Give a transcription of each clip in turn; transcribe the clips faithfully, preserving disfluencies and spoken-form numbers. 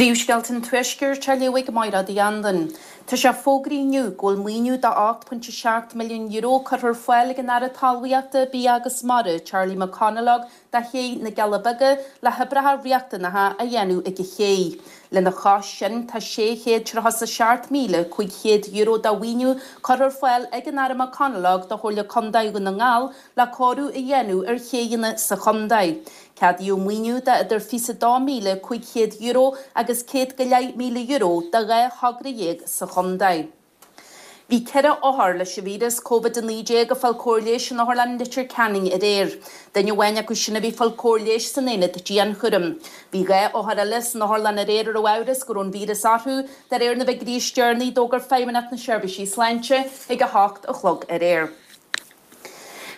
Príomhscéalta an Tuaiscirt á léamh ag Máire Uí Anluain. Tá sé fógraithe inniu go bhfuil maoiniú de ocht pointe seacht milliún euro curtha ar fáil ag an Aire Talmhaíochta, Bia agus Mara, Charlie McConalogue, do ché na gCealla Beaga le hoibreacha riachtanacha a dhéanamh ag an ché. Lena chois sin tá sé chéad tríocha seacht míle cúig chéad euro de mhaoiniú curtha ar fáil ag an Aire McConalogue do Chomhairle Contae Dhún na nGall le cóiriú a dhéanamh ar chéanna sa chontae. Ceadaíodh maoiniú de idir fiche dó míle cúig chéad euro agus céad go leith míle euro do dhá thogra dhéag sa chontae. Bhí ceithre othar leis an víreas Covid a naoi déag ag fáil cóir leighis in Otharlann Leitir Ceanainn aréir. Duine amháin acu sin a bhí ag fáil cóir leighis san aonad dianchúraim. Bhí dhá othar eile san otharlann aréir a raibh amhras go raibh an víreas orthu, de réir na bhfigiúirí is deireanaí a d'fhógair Feidhmeannacht na Seirbhísí Sláinte ag a hocht a chlog aréir.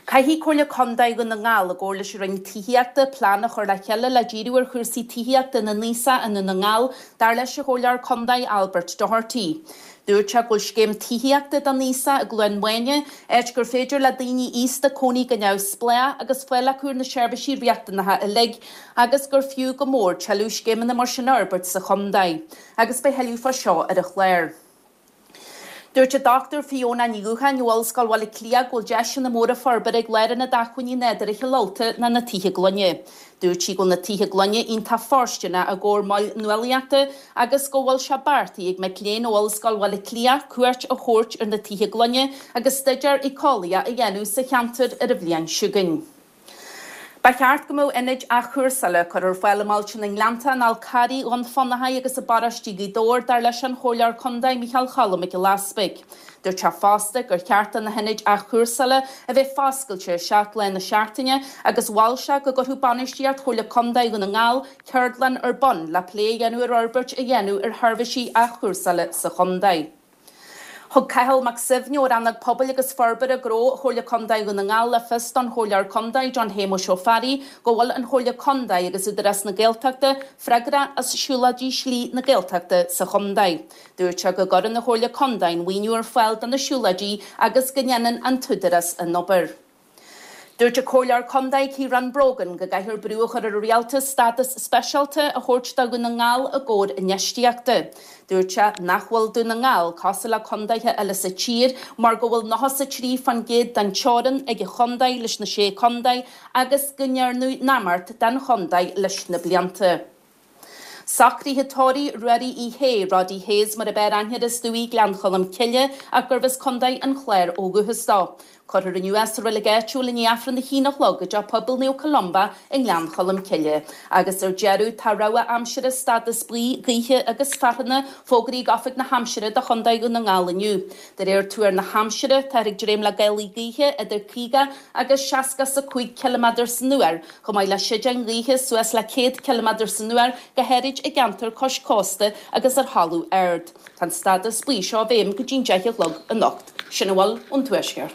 Caithfidh Comhairle Contae Dhún na nGall i gcomhar leis an Roinn Tithíochta plean a chur le chéile le díriú ar chúrsaí tithíochta na n-aosach i nDún na nGall, dar leis an Chomhairleoir Contae Albert Doherty. Dúirt sé go bhfuil scéim tithíochta don aosach i gCluain Mháine, áit gur féidir le daoine aosta cónaí go neamhspleách agus fáil acu ar na seirbhísí riachtanacha uilig, agus gur fiú go mór tuilleadh scéimeanna mar sin a fhorbairt sa chontae. Agus beidh tuilleadh fá seo ar an chlár. Dúirt an Dochtúir Fiona Ní Dhúcháin ó Ollscoil Bhaile Átha Cliath go bhfuil deiseanna móra forbartha ag Lárionad Acmhainní Nádúrtha Chill Ulta ná na tithe gloine. Dúirt sí go bhfuil na tithe gloine iontach fóirsteanach i gcomhair moil nuálaíochta agus go bhfuil sé beartaithe ag mic léinn ó Ollscoil Bhaile Átha Cliath cuairt a thabhairt ar na tithe gloine agus staidéar éiceolaíoch a dhéanamh sa cheantar ar an bhliain seo chugainn. Ba cheart go mbeadh ionaid athchúrsála curtha ar fáil i mbailte na nGleannta, an Fhál Carraigh, Dhún Fionnachaidh agus i bparóiste Ghaoth Dobhair, dar leis an Chomhairleoir Contae Micheál Choilm Mac Giolla Easpaig. Dúirt sé fosta gur cheart do na hionaid athchúrsála a bheith foscailte seacht lá na seachtaine agus mhol sé go gcuirfeadh bainistíocht Chomhairle Contae Dhún na nGall ceardlann ar bun le plé a dhéanamh ar fhorbairt a dhéanamh ar sheirbhísí athchúrsála sa chontae. Thug Cathal Mac Suibhne ó Rannóg Pobail agus Forbartha Gnó Chomhairle Contae Dhún na nGall le fios don Chomhairleoir Contae John Shéamuis Ó Fearraigh go bhfuil an Chomhairle Contae agus Údarás na Gaeltachta freagrach as siúlóidí Slí na Gaeltachta sa chontae. Dúirt sé go gcuireann an Chomhairle Contae an maoiniú ar fáil do na siúlóidí agus go ndéanann an t-údarás an obair. Dúirt an Comhairleoir Contae Ciarán Brogan go gcaithfear brú a chur ar an rialtas stádas speisialta a thabhairt do Dhún na nGall i gcomhair infheistíochta. Dúirt sé nach bhfuil Dún na nGall cosúil le contaetha eile sa tír mar go bhfuil nócha is a trí faoin gcéad den teorainn ag an chontae leis na sé chontae agus go ndearnadh neamart den chontae leis na blianta. Socruithe tórraimh Ruairí Uí Shé, Roddy Hayes mar ab fhearr aithne air as Dumhaigh Gleann Cholm Cille ach gurbh as Contae an Chláir ó dhúchas dó. Cuirfear inniu é sa reilig áitiúil i ndiaidh Aifreann a haon a chlog i dTeach Pobail Naomh Columba i nGleann Cholm Cille. Agus ar deireadh tá rabhadh aimsire stádas buí, gaoithe agus fearthainne fógraithe ag Oifig na hAimsire do Chontae Dhún na nGall inniu. De réir tuar na haimsire, táthar ag dréim le gálaí gaoithe idir caoga agus seasca is a cúig ciliméadar san uair, chomh maith le séideáin ghaoithe suas le céad ciliméadar san uair, go háirid i gceantar cois cósta agus ar thalamh ard. Tá an stádas buí seo i bhfeidhm go dtí'n deich a chlog anocht. Sin a bhfuil ón Tuaisceart.